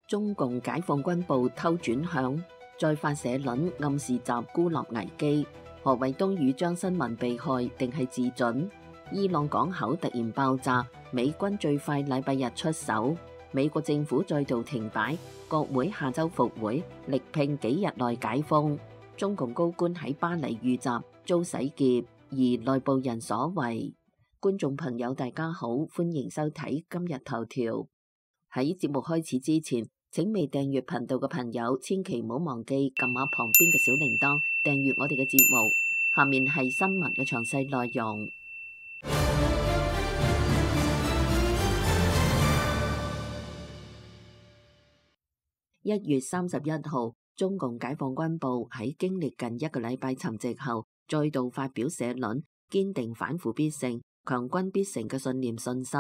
中共解放軍部偷轉向，再發社論暗示習孤立危機。何衛東與張新民被害定係自盡？伊朗港口突然爆炸，美軍最快禮拜日出手。美國政府再度停擺，國會下周復會，力拼幾日內解封。中共高官喺巴黎遇襲遭洗劫，而內部人所為。觀眾朋友大家好，歡迎收睇今日頭條。喺節目開始之前，請未訂閱頻道嘅朋友千祈唔好忘記撳下旁邊嘅小鈴鐺，訂閱我哋嘅節目。下面係新聞嘅詳細內容。1月31號，中共解放軍部喺經歷近一個禮拜沉寂後，再度發表社論，堅定反腐必勝、強軍必成嘅信念信心。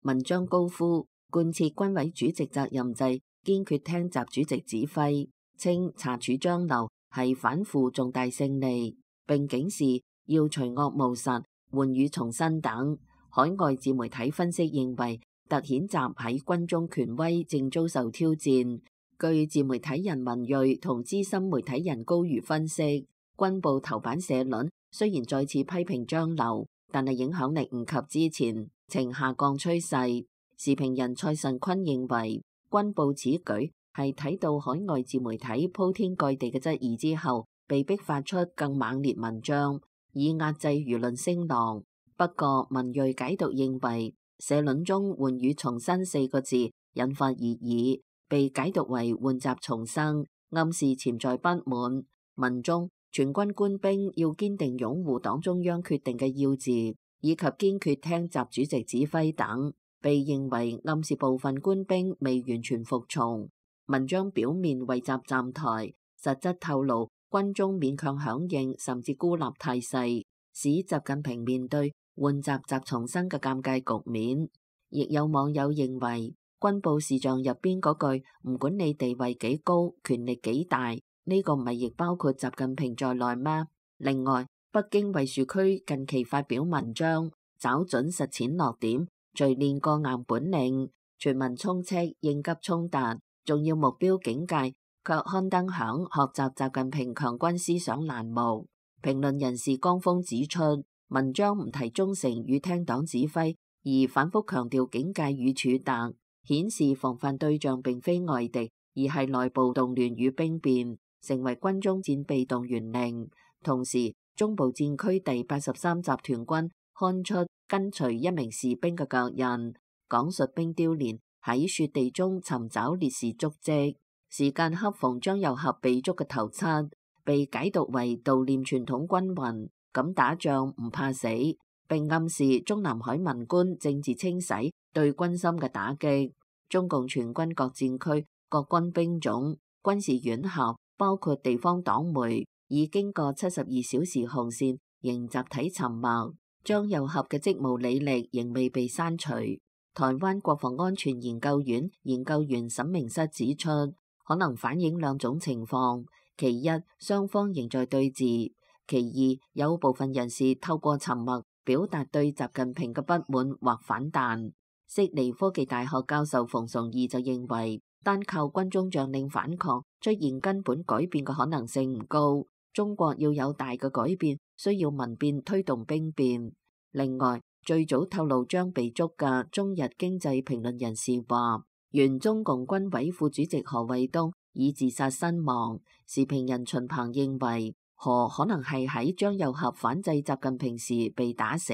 文章高呼貫徹軍委主席責任制，堅決聽習主席指揮，稱查處張流係反腐重大勝利，並警示要除惡務實、換羽重新等。海外自媒體分析認為，突顯習喺軍中權威正遭受挑戰。據自媒體人文銳同資深媒體人高瑜分析，軍部頭版社論雖然再次批評張流，但係影響力唔及之前，呈下降趨勢。時評人蔡慎坤認為，軍部此舉係睇到海外自媒體鋪天蓋地嘅質疑之後，被迫發出更猛烈文章，以壓制輿論聲浪。不過文銳解讀認為，社論中換羽重新四個字引發熱議，被解讀為換習重生，暗示潛在不滿。文中全軍官兵要堅定擁護黨中央決定嘅要旨，以及堅決聽習主席指揮等，被認為暗示部分官兵未完全服從。文章表面為習站台，實質透露軍中勉強響應甚至孤立態勢，使習近平面對換習重生嘅尷尬局面。亦有網友認為，軍部視像入邊嗰句唔管你地位幾高、權力幾大，呢個唔係亦包括習近平在內咩？另外，北京衛戍區近期發表文章，找準實踐落點，錘煉過硬本領，全民充斥應急衝突，重要目標警戒卻刊登響學習習近平強軍思想欄目。評論人士江峰指出，文章唔提忠誠與聽黨指揮，而反覆強調警戒與處突，顯示防範對象並非外敵，而係內部動亂與兵變，成為軍中戰備動員令。同時，中部戰區第83集團軍刊出跟隨一名士兵嘅腳印，講述兵雕連喺雪地中尋找烈士足跡，時間恰逢張又俠被捉嘅頭七，被解讀為悼念傳統軍魂，咁打仗唔怕死，並暗示中南海文官政治清洗對軍心嘅打擊。中共全軍各戰區、各軍兵種、軍事院校，包括地方黨媒，已經過72小時紅線，仍集體沉默。張又俠嘅職務履歷仍未被刪除。台灣國防安全研究院研究員沈明室指出，可能反映兩種情況：其一，雙方仍在對峙；其二，有部分人士透過沉默表達對習近平嘅不滿或反彈。悉尼科技大學教授馮崇義就認為，單靠軍中將領反抗出現根本改變嘅可能性唔高，中國要有大嘅改變，需要民變推動兵變。另外，最早透露將被捉嘅中日經濟評論人士話，原中共軍委副主席何衛東以自殺身亡。時評人秦鵬認為，何可能係喺張又俠反制習近平時被打死，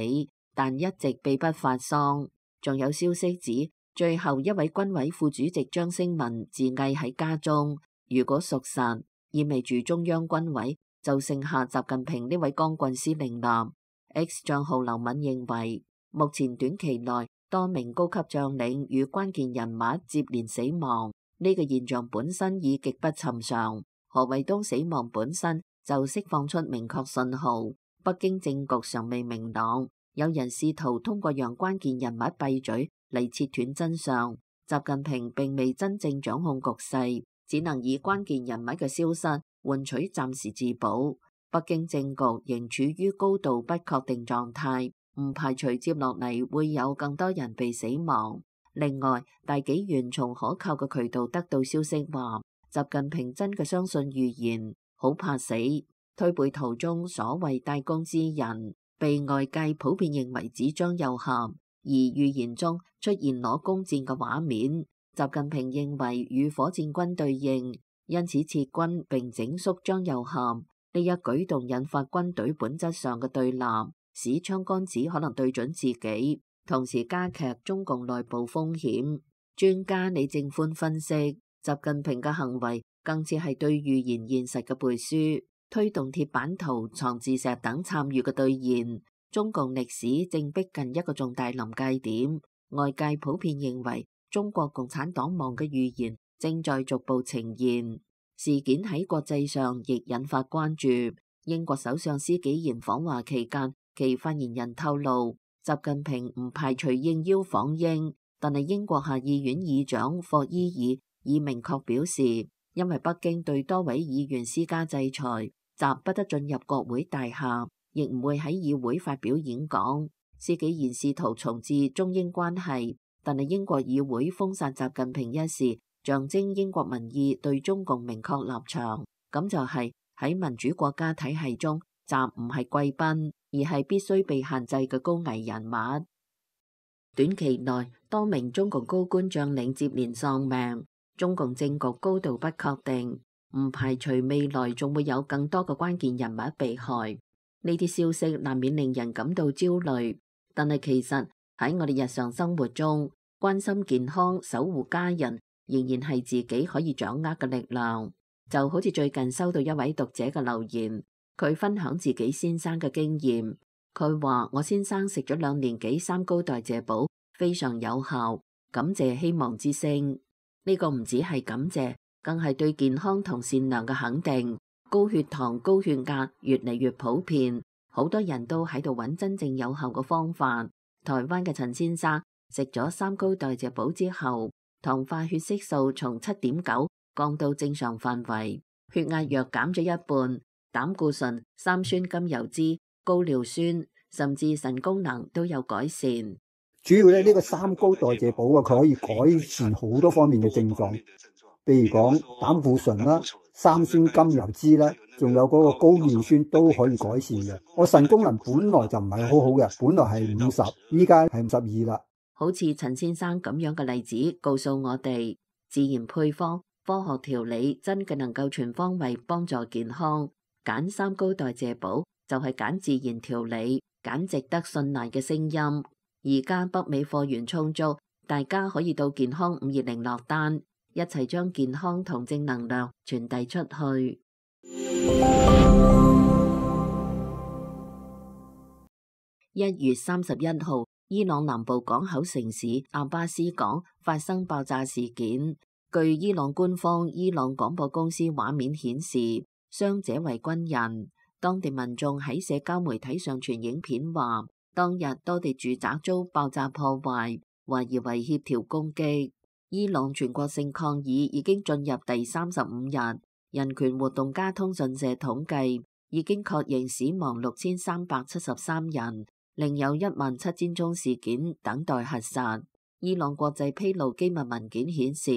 但一直秘不發喪。仲有消息指，最後一位軍委副主席張升民自縊喺家中。如果屬實，意味住中央軍委就剩下習近平呢位光棍司令啦。X 賬號劉敏認為，目前短期內多名高級將領與關鍵人物接連死亡，呢個現象本身已極不尋常。何衛東死亡本身就釋放出明確信號，北京政局尚未明朗。有人試圖通過讓關鍵人物閉嘴嚟切斷真相，習近平並未真正掌控局勢，只能以關鍵人物嘅消失換取暫時自保。北京政局仍處於高度不確定狀態，唔排除接落嚟會有更多人被死亡。另外，大紀元從可靠嘅渠道得到消息話，習近平真嘅相信預言，好怕死。推背圖中所謂大公之人，被外界普遍認為指張又俠，而預言中出現攞弓箭嘅畫面，習近平認為與火箭軍對應，因此撤軍並整肅張又俠。呢一舉動引發軍隊本質上嘅對立，使槍桿子可能對準自己，同時加劇中共內部風險。專家李正寬分析，習近平嘅行為更似係對預言現實嘅背書，推動鐵板圖、藏字石等參與嘅兌現。中共歷史正逼近一個重大臨界點，外界普遍認為中國共產黨亡嘅預言正在逐步呈現。事件喺國際上亦引發關注。英國首相施紀賢訪華期間，其發言人透露，習近平唔排除應邀訪英，但係英國下議院議長霍伊爾已明確表示，因為北京對多位議員施加制裁，習不得進入國會大廈，亦唔會喺議會發表演講。施紀賢試圖重置中英關係，但係英國議會封殺習近平一事，象徵英國民意對中共明確立場。咁就係喺民主國家體系中，習唔係貴賓，而係必須被限制嘅高危人物。短期內，多名中共高官將領接連喪命，中共政局高度不確定，唔排除未來仲會有更多嘅關鍵人物被害。呢啲消息難免令人感到焦慮，但係其實喺我哋日常生活中，關心健康、守護家人，仍然係自己可以掌握嘅力量。就好似最近收到一位讀者嘅留言，佢分享自己先生嘅經驗。佢話：我先生食咗2年幾三高代謝寶，非常有效，感謝希望之聲。呢個唔止係感謝，更係對健康同善良嘅肯定。高血糖、高血壓越嚟越普遍，好多人都喺度揾真正有效嘅方法。台灣嘅陳先生食咗3高代謝寶之後，糖化血色素從7.9降到正常範圍，血壓藥減咗一半，膽固醇、三酸甘油脂、高尿酸，甚至腎功能都有改善。主要呢個3高代謝寶啊，佢可以改善好多方面嘅症狀，譬如講膽固醇啦、三酸甘油脂啦，仲有嗰個高尿酸都可以改善嘅。我腎功能本來就唔係好好嘅，本來係50，依家係52啦。好似陳先生咁樣嘅例子，告訴我哋，自然配方、科學調理真嘅能夠全方位幫助健康。揀3高代謝寶就係揀自然調理，揀值得信賴嘅聲音。而家北美貨源充足，大家可以到健康520落單，一齊將健康同正能量傳遞出去。1月31號，伊朗南部港口城市阿巴斯港發生爆炸事件。據伊朗官方伊朗廣播公司畫面顯示，傷者為軍人。當地民眾喺社交媒體上傳影片話，當日多地住宅遭爆炸破壞，懷疑為協調攻擊。伊朗全國性抗議已經進入第35日，人權活動家通訊社統計已經確認死亡6373人，另有17000宗事件等待核實。伊朗國際披露機密文件顯示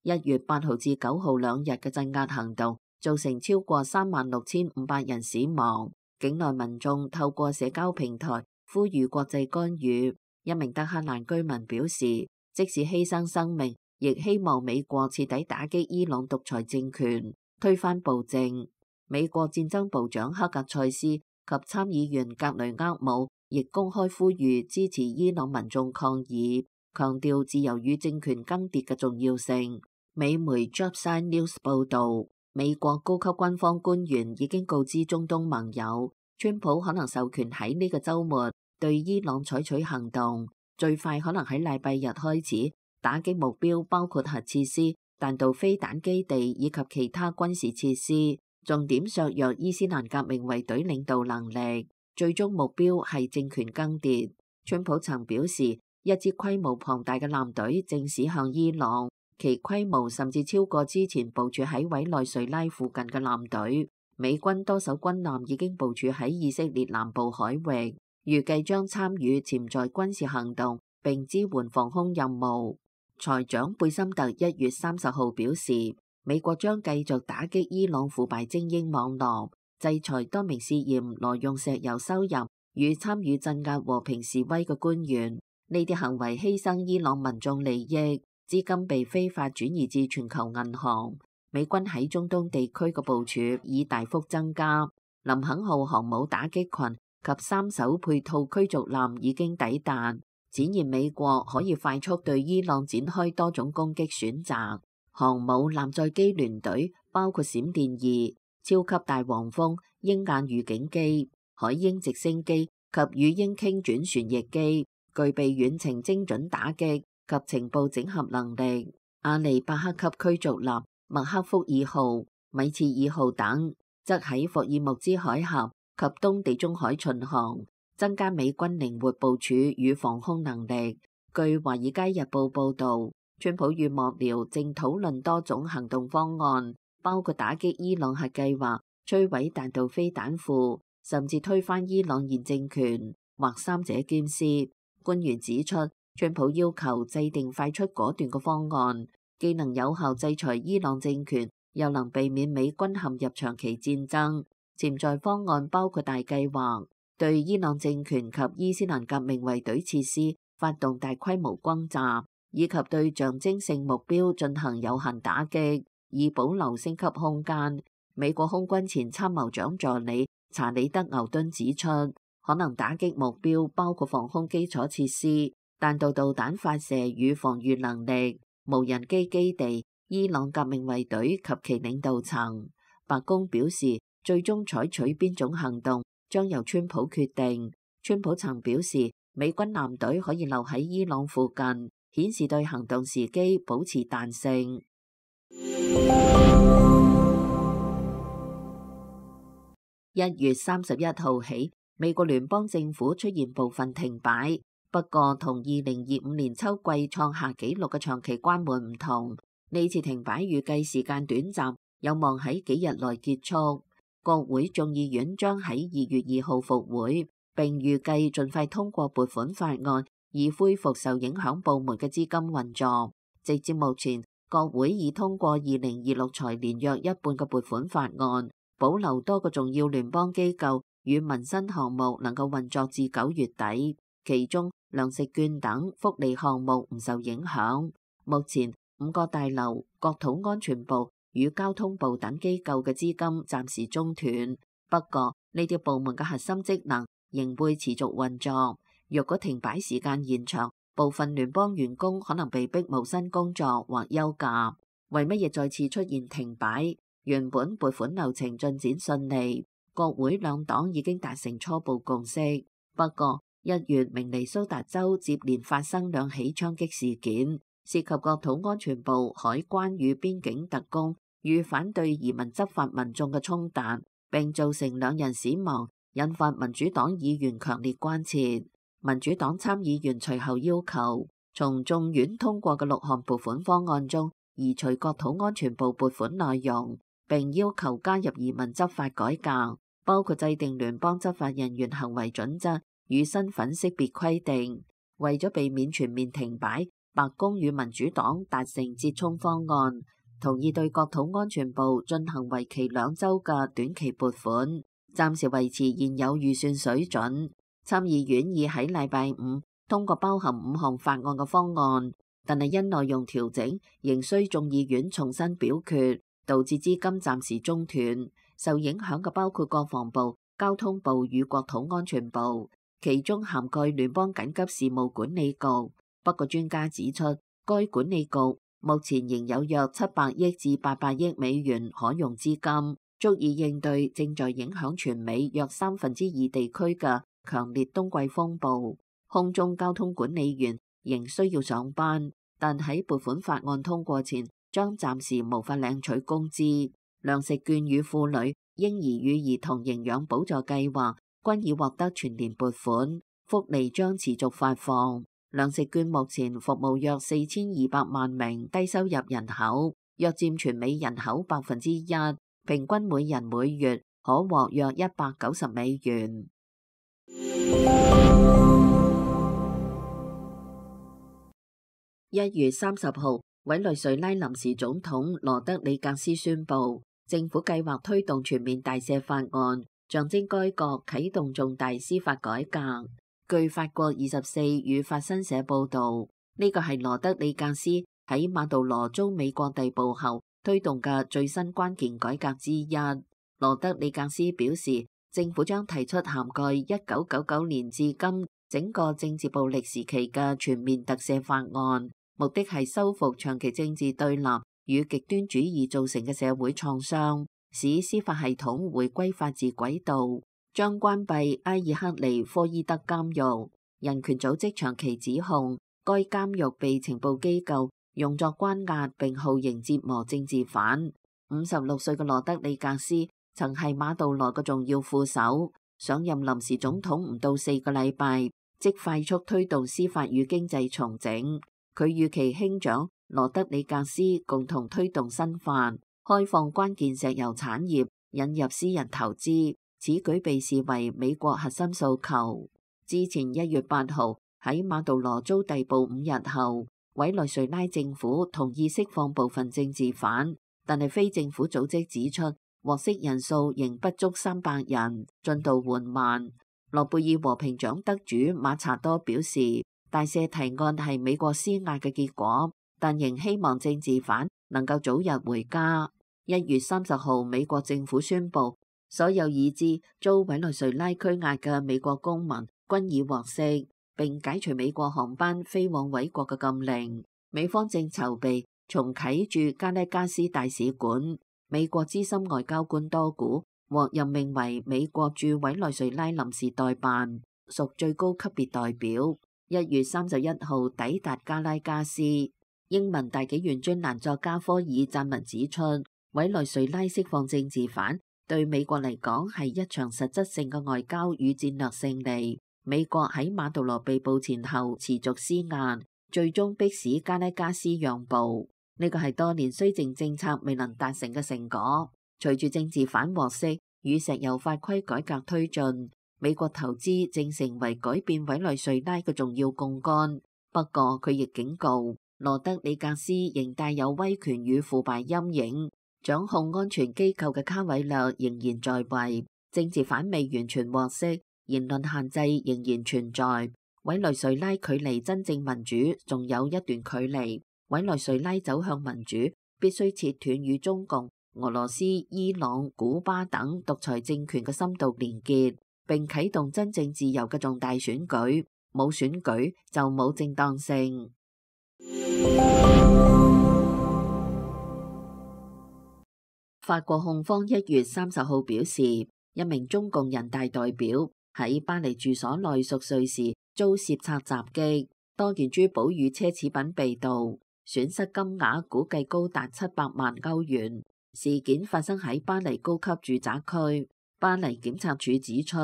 ，1月8號至9號2日嘅鎮壓行動造成超過36500人死亡。境內民眾透過社交平台呼籲國際干預。一名德黑蘭居民表示，即使犧牲生命，亦希望美國徹底打擊伊朗獨裁政權，推翻暴政。美國戰爭部長克格塞斯及參議員格雷厄姆亦公開呼籲支持伊朗民眾抗議，強調自由與政權更迭嘅重要性。美媒 Jobside News 報導，美國高級軍方官員已經告知中東盟友，川普可能授權喺呢個週末對伊朗採取行動，最快可能喺禮拜日開始，打擊目標包括核設施、彈道飛彈基地以及其他軍事設施，重點削弱伊斯蘭革命衛隊領導能力，最終目標係政權更迭。川普曾表示，一支規模龐大嘅艦隊正駛向伊朗，其規模甚至超過之前部署喺委內瑞拉附近嘅艦隊。美軍多艘軍艦已經部署喺以色列南部海域，預計將參與潛在軍事行動並支援防空任務。財長貝森特1月30號表示，美國將繼續打擊伊朗腐敗精英網絡，制裁多名涉嫌挪用石油收入與參與鎮壓和平示威嘅官員。呢啲行為犧牲伊朗民眾利益，資金被非法轉移至全球銀行。美軍喺中東地區嘅部署已大幅增加。林肯號航母打擊群及3艘配套驅逐艦已經抵達，展現美國可以快速對伊朗展開多種攻擊選擇。航母艦載機聯隊包括閃電2、超級大黃蜂、鷹眼預警機、海鷹直升機及魚鷹傾轉旋翼機，具備遠程精準打擊及情報整合能力。阿利巴克級驅逐艦麥克福爾號、米切爾號等則喺霍爾木茲海峽及東地中海巡航，增加美軍靈活部署與防空能力。據《華爾街日報》報導，川普與幕僚正討論多種行動方案，包括打擊伊朗核計劃、摧毀彈道飛彈庫，甚至推翻伊朗現政權，或三者兼施。官員指出，川普要求制定快速果斷嘅方案，既能有效制裁伊朗政權，又能避免美軍陷入長期戰爭。潛在方案包括大計劃，對伊朗政權及伊斯蘭革命衛隊設施發動大規模轟炸，以及對象徵性目標進行有限打擊，以保留升級空間。美國空軍前參謀長助理查理德牛頓指出，可能打擊目標包括防空基礎設施、彈道導彈發射與防禦能力、無人機基地、伊朗革命衛隊及其領導層。白宮表示，最終採取邊種行動將由川普決定。川普曾表示，美軍艦隊可以留喺伊朗附近，顯示對行動時機保持彈性。1月31號起，美國聯邦政府出現部分停擺，不過同2025年秋季創下紀錄嘅長期關門唔同，呢次停擺預計時間短暫，有望喺幾日內結束。國會眾議院將喺2月2號復會，並預計盡快通過撥款法案，以恢復受影響部門嘅資金運作。直至目前，國會已通過2026財年約一半嘅撥款法案，保留多個重要聯邦機構與民生項目能夠運作至9月底，其中糧食券等福利項目唔受影響。目前5個大樓、國土安全部與交通部等機構嘅資金暫時中斷，不過呢啲部門嘅核心職能仍會持續運作。若果停擺時間延長，部分聯邦員工可能被逼無薪工作或休假。為乜嘢再次出現停擺？原本撥款流程進展順利，國會兩黨已經達成初步共識。不過1月明尼蘇達州接連發生2起槍擊事件，涉及國土安全部、海關與邊境特工與反對移民執法民眾嘅衝突，並造成2人死亡，引發民主黨議員強烈關切。民主黨參議員隨後要求從眾院通過嘅6項撥款方案中移除國土安全部撥款內容，並要求加入移民執法改革，包括制定聯邦執法人員行為準則與身份識別規定。為咗避免全面停擺，白宮與民主黨達成折衷方案，同意對國土安全部進行為期2週嘅短期撥款，暫時維持現有預算水準。參議院已喺禮拜5通過包含5項法案嘅方案，但係因內容調整，仍需眾議院重新表決，導致資金暫時中斷。受影響嘅包括國防部、交通部與國土安全部，其中涵蓋聯邦緊急事務管理局。不過專家指出，該管理局目前仍有約700億至800億美元可用資金，足以應對正在影響全美約2/3地區嘅強烈冬季風暴。空中交通管理員仍需要上班，但喺撥款法案通過前，將暫時無法領取工資。糧食券與婦女、嬰兒與兒童營養補助計劃均已獲得全年撥款，福利將持續發放。糧食券目前服務約4200萬名低收入人口，約佔全美人口1%，平均每人每月可獲約190美元。1月30號，委內瑞拉臨時總統羅德里格斯宣布，政府計劃推動全面大赦法案，象徵該國啟動重大司法改革。據法國24與法新社報導，呢個係羅德里格斯喺馬杜羅遭美國逮捕後推動嘅最新關鍵改革之一。羅德里格斯表示，政府將提出涵蓋1999年至今整個政治暴力時期嘅全面特赦法案，目的係修復長期政治對立與極端主義造成嘅社會創傷，使司法系統回歸法治軌道。將關閉埃爾克尼科伊德監獄。人權組織長期指控該監獄被情報機構用作關押並酷刑折磨政治犯。56歲嘅羅德里格斯曾係馬杜羅嘅重要副手，上任臨時總統唔到4個禮拜，即快速推動司法與經濟重整。佢與其兄長羅德里格斯共同推動新法，開放關鍵石油產業，引入私人投資。此舉被視為美國核心訴求。之前1月8號喺馬杜羅遭逮捕5日後，委內瑞拉政府同意釋放部分政治犯，但係非政府組織指出獲釋人數仍不足300人，進度緩慢。諾貝爾和平獎得主馬查多表示，大赦提案係美國施壓嘅結果，但仍希望政治犯能夠早日回家。1月30號，美國政府宣布，所有已知遭委內瑞拉拘押嘅美國公民均已獲釋，並解除美國航班飛往委國嘅禁令。美方正籌備重啟駐加拉加斯大使館。美國資深外交官多古獲任命為美國駐委內瑞拉臨時代辦，屬最高級別代表。1月31號抵達加拉加斯。英文大紀元專欄作家科爾撰文指出，委內瑞拉釋放政治犯對美國嚟講係一場實質性嘅外交與戰略勝利。美國喺馬杜羅被捕前後持續施壓，最終迫使加拉加斯讓步。呢個係多年綏靖政策未能達成嘅成果。隨住政治犯獲釋與石油法規改革推進，美國投資正成為改變委內瑞拉嘅重要槓桿。不過佢亦警告，羅德里格斯仍帶有威權與腐敗陰影。掌控安全機構嘅卡韋略仍然在位，政治犯未完全獲釋，言論限制仍然存在。委內瑞拉距離真正民主仲有一段距離。委內瑞拉走向民主，必須切斷與中共、俄羅斯、伊朗、古巴等獨裁政權嘅深度連結，並啟動真正自由嘅重大選舉。冇選舉就冇正當性。法國控方1月30號表示，一名中共人大代表喺巴黎住所內熟睡時遭竊賊襲擊，多件珠寶與奢侈品被盜，損失金額估計高達700萬歐元。事件發生喺巴黎高級住宅區。巴黎檢察署指出，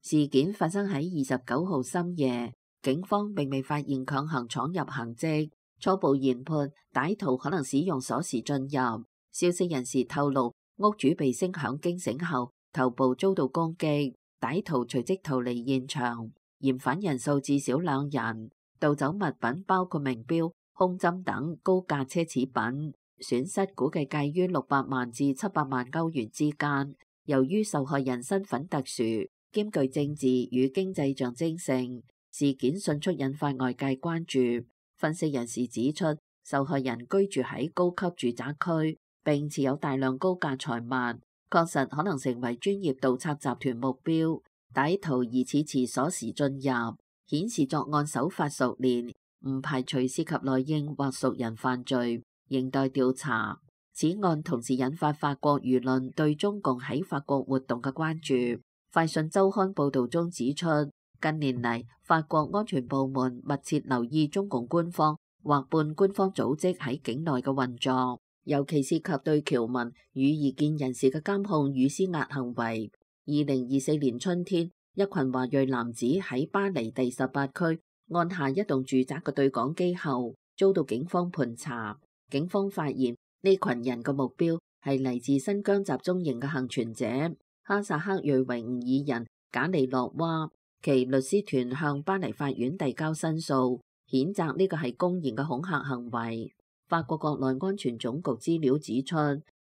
事件發生喺29號深夜，警方並未發現強行闖入痕跡，初步研判歹徒可能使用鎖匙進入。消息人士透露，屋主被聲響驚醒後，頭部遭到攻擊，歹徒隨即逃離現場。嫌犯人數至少2人，盜走物品包括名錶、胸針等高價奢侈品，損失估計介於600萬至700萬歐元之間。由於受害人身份特殊，兼具政治與經濟象徵性，事件迅速引發外界關注。分析人士指出，受害人居住喺高級住宅區，並持有大量高價財物，確實可能成為專業盜賊集團目標。歹徒疑似持鎖匙進入，顯示作案手法熟練，唔排除涉及內應或熟人犯罪，仍待調查。此案同時引發法國輿論對中共喺法國活動嘅關注。快訊週刊報導中指出，近年嚟法國安全部門密切留意中共官方或半官方組織喺境內嘅運作，尤其涉及對僑民與異見人士嘅監控與施壓行為。2024年春天，一群華裔男子喺巴黎第18區按下一棟住宅嘅對講機後，遭到警方盤查。警方發現呢群人嘅目標係嚟自新疆集中營嘅幸存者哈薩克裔維吾爾人賈里諾娃。其律師團向巴黎法院遞交申訴，譴責呢個係公然嘅恐嚇行為。法國國內安全總局資料指出，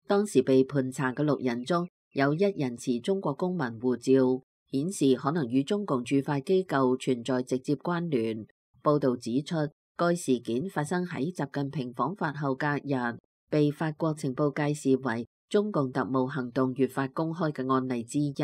當時被盤查嘅6人中有1人持中國公民護照，顯示可能與中共駐法機構存在直接關聯。報導指出，該事件發生喺習近平訪法後隔日，被法國情報界視為中共特務行動越發公開嘅案例之一。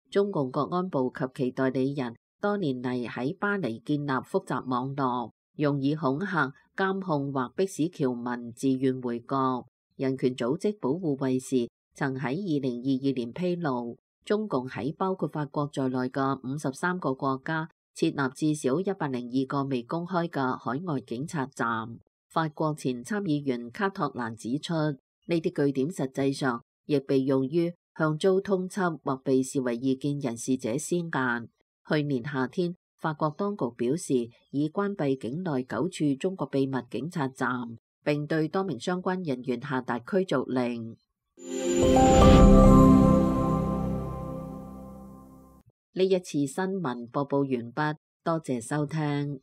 中共國安部及其代理人多年嚟喺巴黎建立複雜網絡，用以恐嚇、監控或迫使僑民自願回國。人權組織保護衛士曾喺2022年披露，中共喺包括法國在內嘅53個國家設立至少102個未公開嘅海外警察站。法國前參議員卡托蘭指出，呢啲據點實際上亦被用於向遭通緝或被視為異見人士者施壓。去年夏天，法國當局表示已關閉境內9處中國秘密警察站，並對多名相關人員下達驅逐令。呢一次新聞播報完畢，多謝收聽。